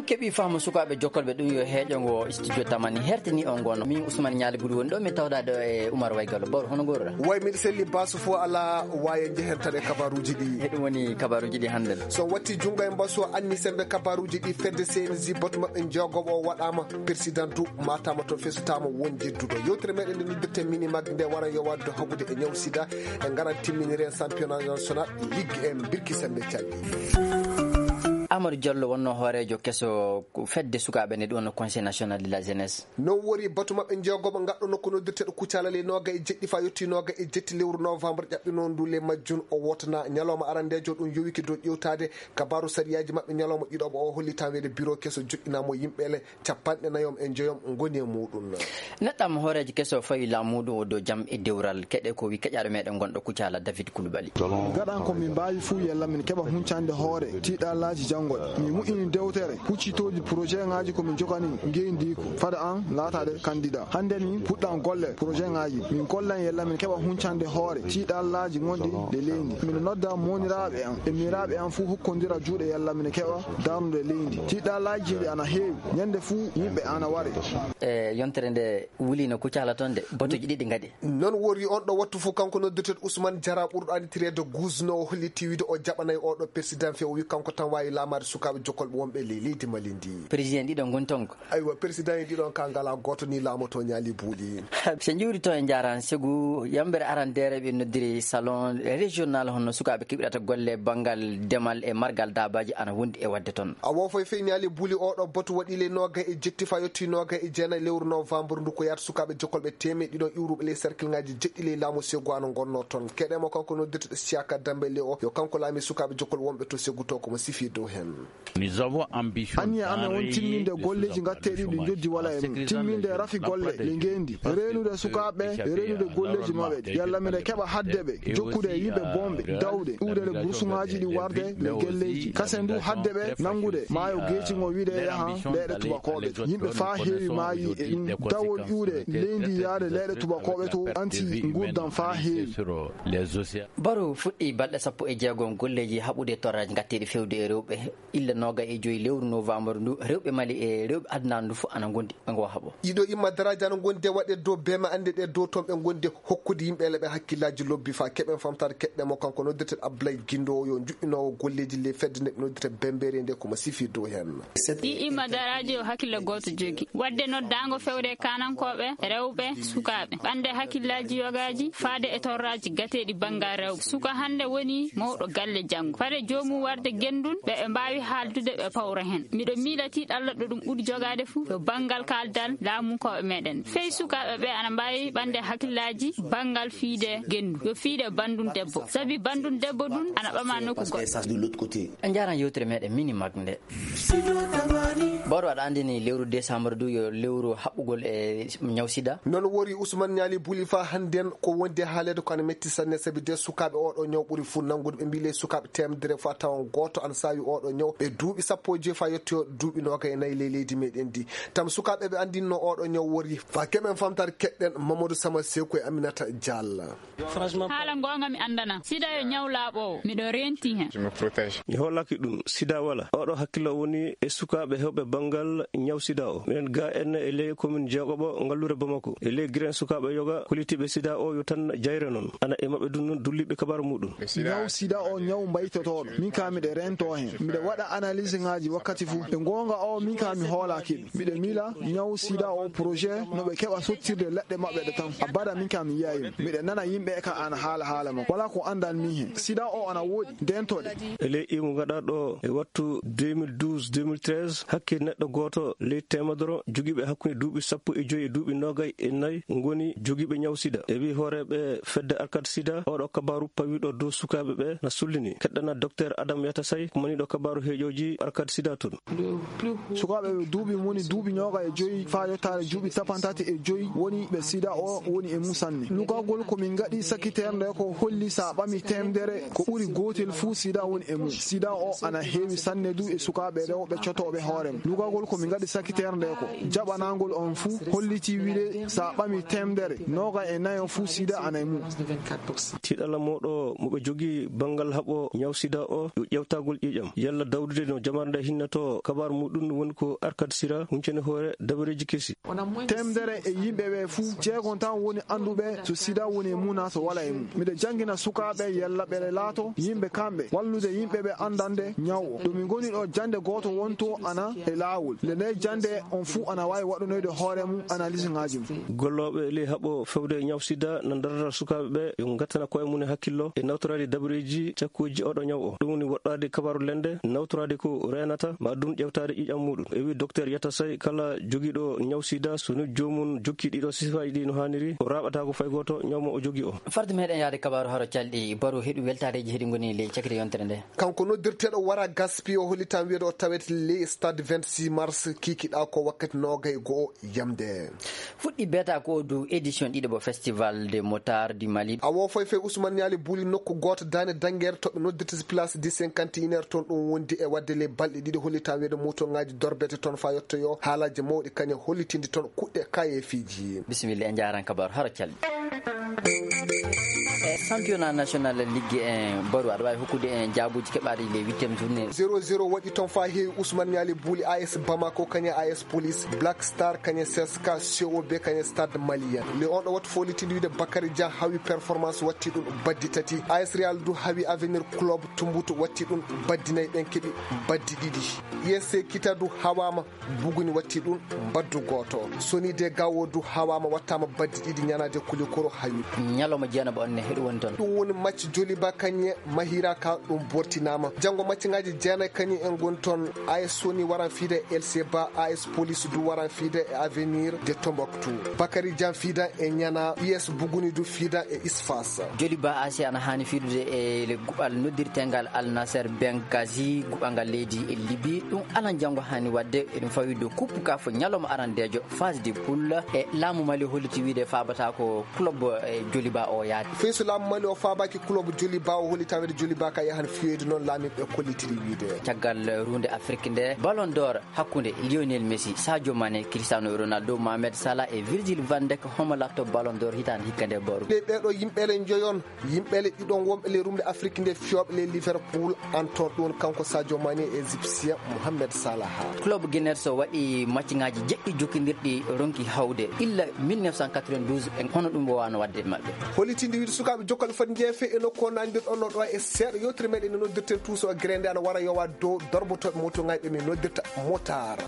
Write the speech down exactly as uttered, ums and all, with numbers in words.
Keɓi faamu sukaaɓe jokkolɓe ɗum yo heeƴo ngo studio Tamani hertini on ngono. Min Ousmane Ñaali Buli woni ɗo, min tawda ɗo e Oumar Way Gallo. Bawro, hono ngorra? Way, miɗo selli, baasu fof alaa, waaye njehen tan e kabaaruuji ɗi. E ɗum woni kabaaruuji ɗi hannde. So watti junngo e mbasu, anni sembe kabaaruuji ɗi, fedde C N J batu maɓɓe jeegoɓo o waɗaama, persidantu maataama to fesutaama won jedduɗo. Yewtere meɗen nde noddirten Mini Mag nde wara yo waddo haɓude e ñaw sida e ngaran timminire en championnat national ligue en birki sembe calli. Amadou Diallo wonno hooreejo keso fedde sukaaɓe nde ɗum wonno Conseil National de la Jeunesse. Non wori batu maɓɓe jeegoɓo ngaɗɗo nokku noddirteɗo Kucala ley nooga e jeɗɗi fa yotti nooga e jetti lewru novembre ƴaɓɓinoo ndu ley majjun o wotana ñalawma arandeejo ɗum yowiki dow ƴewtaade kabaaru sariyaaji maɓɓe ñalawma ɗiɗoɓo o holli tan weede biro keso joɗɗinaa mo yimɓe le capanɗe nayom e njoyom ngoni e muɗum. Neɗɗam hooreejo keso fawi laamuɗo o dow jam e dewral keɗe ko wi keƴaɗo meɗen gonɗo Kucala David Koulibaly. Gaɗan ko min mbaawi fuu yalla min keɓa huncande hoore tiiɗalaaji janngoɗe. Min mu'ini dewtere huccitooji projet ŋaaji ko min jogani ngeyndi ko fada an laataade kandida. Hannde min puɗɗan golle projet ŋaaji. Min gollan yalla min keɓa huncande hoore tiiɗalaaji gonɗi le leydi. Min nodda mooniraaɓe an e miiraaɓe an fuu hokkondira juuɗe yalla min keɓa darnude leydi. Tiiɗalaaji ɗi ana heewi. Ñande fuu yimɓe ana ware. E yontere nde wuli no Kucala toon de, batuuji ɗiɗi ngaɗi. Non wori on ɗo wattu fof kanko noddirteeɗo Ousmane Diarra ɓurɗo anndireede Gusno o holliti wiide o jaɓanay oɗo persidan fe o wi kanko tan waawi laamaade sukaaɓe jokkolɓe wonɓe ley leydi Mali ndi. Président ɗiɗo ngon toon ko? Aywa, persidan e ɗiɗon ka ngala gooto ni laamoto Ñaali Buuli. So njuuri toon e njaaraan segu yambere arandeere ɓe noddiri salon régional honno sukaaɓe keɓirata golle banngal demal e margal daabaaji ana wondi e waɗde toon. A wofay fey Ñaali Buuli oɗo batu waɗi le nooga e jetti fa yotti nooga e jeenayi lewru novembre ndu ko yaata sukaaɓe jokkolɓe teemeɗɗe ɗiɗon iwruɓe ley cercle ŋaaji jeɗɗi ley laamu segu ano ngonno toon. Keɗemo kanko noddirteɗo Siaka Dembele o yo kanko laami sukaaɓe jokkol wonɓe to segu to komo sifi dow hen. Anniya amen won timminde golleeji ngatteeɗi ɗi njoddi wala e mum. Timminde rafi golle le ngeendi. Reenude sukaaɓe, reenude golleeji maɓɓe ɗi. Yalla miɗe keɓa hadde ɓe, jokkude e yimɓe boomɓe, dawde, iwde le bursuŋaaji ɗi warde le gelleeji. Kasen du hadde ɓe nanngude maayo geeci ngo wiide yaha leeɗe tubakooɓe. Yimɓe faa heewi maayi e ɗum. Dawol iwde leydi yaade leeɗe tubakooɓe to anti nguurndam faa heewi. Baro fuɗɗi balɗe sappo e jeegom golleeji haɓude torraaji ngatteeɗi fewde e rewɓe. Illa nooga e joyi lewru novembre ndu, rewɓe Mali e rewɓe aduna ndu fof ana ngondi e ngo haɓo. Ɗiɗo imma daraaji ana ngondi e waɗe dow beema annde ɗe dow toon ɓe ngondi hokkude yimɓe leɓe hakkillaaji lobbi faa keɓen famtaade keɗɗe mo kanko noddirteɗo Abdoulaye Guindo o yo juɓɓinoowo golleeji ley fedde nde ɓe noddirta Bembeere nde ko mo sifi dow heen. Ɗi imma daraaji o hakkille gooto jogi. Waɗde noddaango fewde e kaanankooɓe, rewɓe, sukaaɓe. Ɓande hakkillaaji yogaaji faade e torraaji gateeɗi banngal rewɓe. Suka hannde woni mawɗo galle janngo. Fade joomum warde genndun, ɓe ɓe mbaawi haaldude ɓe pawra heen. Miɗo miila tiiɗalla ɗo ɗum ɓuri jogaade fuu, yo banngal kaaldal laamunkooɓe meɗen. Fey sukaaɓe ɓe ana mbaawi ɓande hakkillaaji banngal fiide genndu. Yo fiide banndun debbo. Sabi banndun debbo ɗun ana ɓama nokku goɗɗo. En njaran yewtere meɗen Mini Mag nde. Bawɗo aɗa anndini lewru décembre du yo lewru haɓɓugol e ñaw sida. Noon wori Ousmane Ñaali Buli fa hannden ko wondi e haaleede ko ana metti sanne, sabi de sukaaɓe oɗo ñaw ɓuri fuu nanngude. Ɓe mbii le sukaaɓe teemedere fa tawan gooto ana saawi oɗo ñaw. Ɓe duuɓi sappo e joyi fa yettoyo duuɓi nooga e nayi ley leydi meɗen ndi. Tam sukaaɓe ɓe anndinno oɗo ñaw wori fa keɓen famtaade keɗɗen Mamadou Sama Seku e Aminata Diallo. Haala ngoonga mi anndana. Sida yo ñaw laaɓoowo. Miɗo renti hen. Mi hoolaki ɗum. Sida wala. Oɗo hakkillo woni e sukaaɓe hewɓe banngal ñaw sida o. Minen ga en e ley komin jeegoɓo ngallure Bamako. E ley giren sukaaɓe yoga kollitiiɓe sida o yo tan jayre noon. Ana e maɓɓe dun noon dulliiɓe kabaaru muɗum. Ñaw sida o ñaw mbaytotooɗo. Min ka miɗe rento hen. Miɗe waɗa analyse ŋaaji wakkati fuu. E ngoonga o min ka mi hoolaki ɓe. Miɗe miila ñaw sida o projet no ɓe keɓa sottirde leɗɗe maɓɓe ɗe tan. Abada min ka mi yiyayi mo. Miɗe nana yimɓe ka ana haala haala makko. Wala ko andan min hen. Sida o ana woɗi. Dentoɗe. E ley imu gaɗaɗo e wattu deux mille douze deux mille treize, hakke neɗɗo gooto ley teemedere jogiiɓe hakkunde duuɓi sappo e joyi e duuɓi noogay e nayi ngoni jogiiɓe ñaw sida. E wi hooreeɓe fedde Arcade Sida, oɗo kabaaru pawiɗo dow sukaaɓe ɓe na sullini. Keɗɗana Docteur Adam Yatasay, ko maniɗo kabaaru heeƴooji Arcade Sida toon. Sukaaɓe ɓe duuɓi moni duuɓi ñooga e joyi faa yottaade juuɓi cappanɗe tati e joyi woni ɓe sida o woni e mum sanne. Lugagol ko min ngaɗi sakkiteere nde ko holli sa ɓami teemedere ko ɓuri gootel fuu sida woni e mum. Sida o ana heewi sanne du e sukaaɓe rewɓe cotooɓe hoore mum. Lugagol ko min ngaɗi sakkiteere nde ko jaɓanangol on fuu holliti wiide sa ɓami teemedere nooga e nayo fuu sida ana e mum. Tiiɗalla mooɗo mo ɓe jogii banngal haɓo ñaw sida o yo ƴewtagol ƴiiƴam. Yalla Dawdude no jamar nde hinnoto kabaar muɗum woni ko Arcade Sira, huncene hoore dabareeji kesi. Temedere e yimɓe ɓe fuu, jeegon tan woni annduɓe so sida woni e mum naa so walaa e mum. Miɗo janngina sukaaɓe yalla ɓe laato yimɓe kamɓe, wallude yimɓe ɓe anndande ñaw o. Ɗo min ngoni ɗo, jannde gooto wonto ana e laawol. Nde nde jannde on fuu ana waawi waɗanoyde hoore mum analyse ŋaaji mum. Gollooɓe ley haɓo fewde e ñaw sida na darata sukaaɓe ɓe yo ngattana koye mum e hakkillo e nawtoraade dabareeji cakkuuji oɗo ñaw o. Ɗum woni woɗɗaade kabaaru lende, nawtoraade ko reenata, ma ɗum ƴewtaade ƴiiƴam muɗum. E wi Docteur Yatasay, kala jogiiɗo ñaw sida, so ni joomum jokki ɗiɗo sifaaji ɗi no haaniri, o raaɓataako fay gooto ñaw mo o jogii o. Farde meɗen yaade kabaaru haro calɗi, Baro heɗu weltaareeji heɗi ngoni ley cakite yontere nde. Kanko noddirteeɗo Wara Gaspi o hollitan wiyeede o tawete ley stade vingt-six mars kikiɗa ko wakkati noogay go'o yamde. Fuɗɗi beeta ko du édition ɗiɗo bo Festival de Motard du Mali. Awo foy fey Ousmane Niali Buli nokku gooto daande dangeere to ɓe noddirta si place du cinquante et un heures toon, ɗum wondi e waɗde ley balɗe ɗiɗi hollitan wiyeede motoŋaaji dorbete toon faa yottoyo haalaaji mawɗi kañe hollitinde toon kuɗɗe kayeefiiji. Bisimilla, en njaaran kabaru haro calɗi. E championnat national ligue en Baro, aɗa waawi hokkude en jaabuuji keɓaaɗi les huitième journée. Zéro zéro waɗi toon faa heewi Ousmane Niali Buli A S Bamako kañe A S Police, Black Star kañe C S K, C O B kañe Stade Malien. Le on ɗo wattu foolitinde wiide Bakary Dia hawi Performance watti ɗum baddi tati. A S Real du hawi Avenir Club Tumbutu watti ɗum baddi nayi, ɓen keɓi baddi ɗiɗi. U S C Kita du hawaama Buguni watti ɗum baddu gooto. Soni de Gawo du hawaama wattaama baddi ɗiɗi ñanaade Kulikoro hawi. Ñalawma jeyanaba on ne heɗu woni toon. Ɗum woni match Joliba kañe Mahira ka ɗum bortinaama. Janngo match ŋaaji jeenayi kañum en ngoni toon. A S Soni waran fiide e L C Ba, A S Police du waran fiide e Avenir de Tombouctou. Bakary Jan fiidan e Ñana, U S Buguni du fiidan e Isfas. Joliba A C ana haani fiidude e le guɓal noddirtengal Al Nassr Benghazi, guɓal ngal leydi e Libi. Ɗum alan janngo haani waɗde, eɗum fawi dow coupe kaf ñalawma arandeejo, phase de poule. E laamu Mali holliti wiide faabata ko club, e, Joliba o yaade. Fii so laamu Mali o faabaaki club Joliba o, holli tawede Joliba ka yahan fiyoyde, noon laamiiɓe kollitiri wiide. Caggal runde Afrique nde, Ballon d'Or hakkunde Lionel Messi, Sadio Mané, Cristiano Ronaldo, Mohamed Salah e Virgil van Dijk, homo laatto Ballon d'Or hitaande hikka nde Baro? Ɗe ɓeeɗo yimɓe le njoyon, yimɓe le ɗiɗon wonɓe le rumde Afrique nde fiyooɓe le Liverpool, Anton ɗum kanko Sadio Mané e Égyptien Mohamed Salah. Club Gunners o waɗi match ŋaaji jeɗɗi jokkindirɗi ronki hawde illa mille neuf cent quatre-vingt-douze, e hono ɗum wowano waɗde e maɓɓe. Hollitinde wiide sukaaɓe jokkal foti jeefe e nokku o nandirɗon no ɗo e seeɗa yewtere meɗen no noddirten tuuso e grende ana wara yowa dow dorbotoɓe moto ŋayɓe min noddirta motard.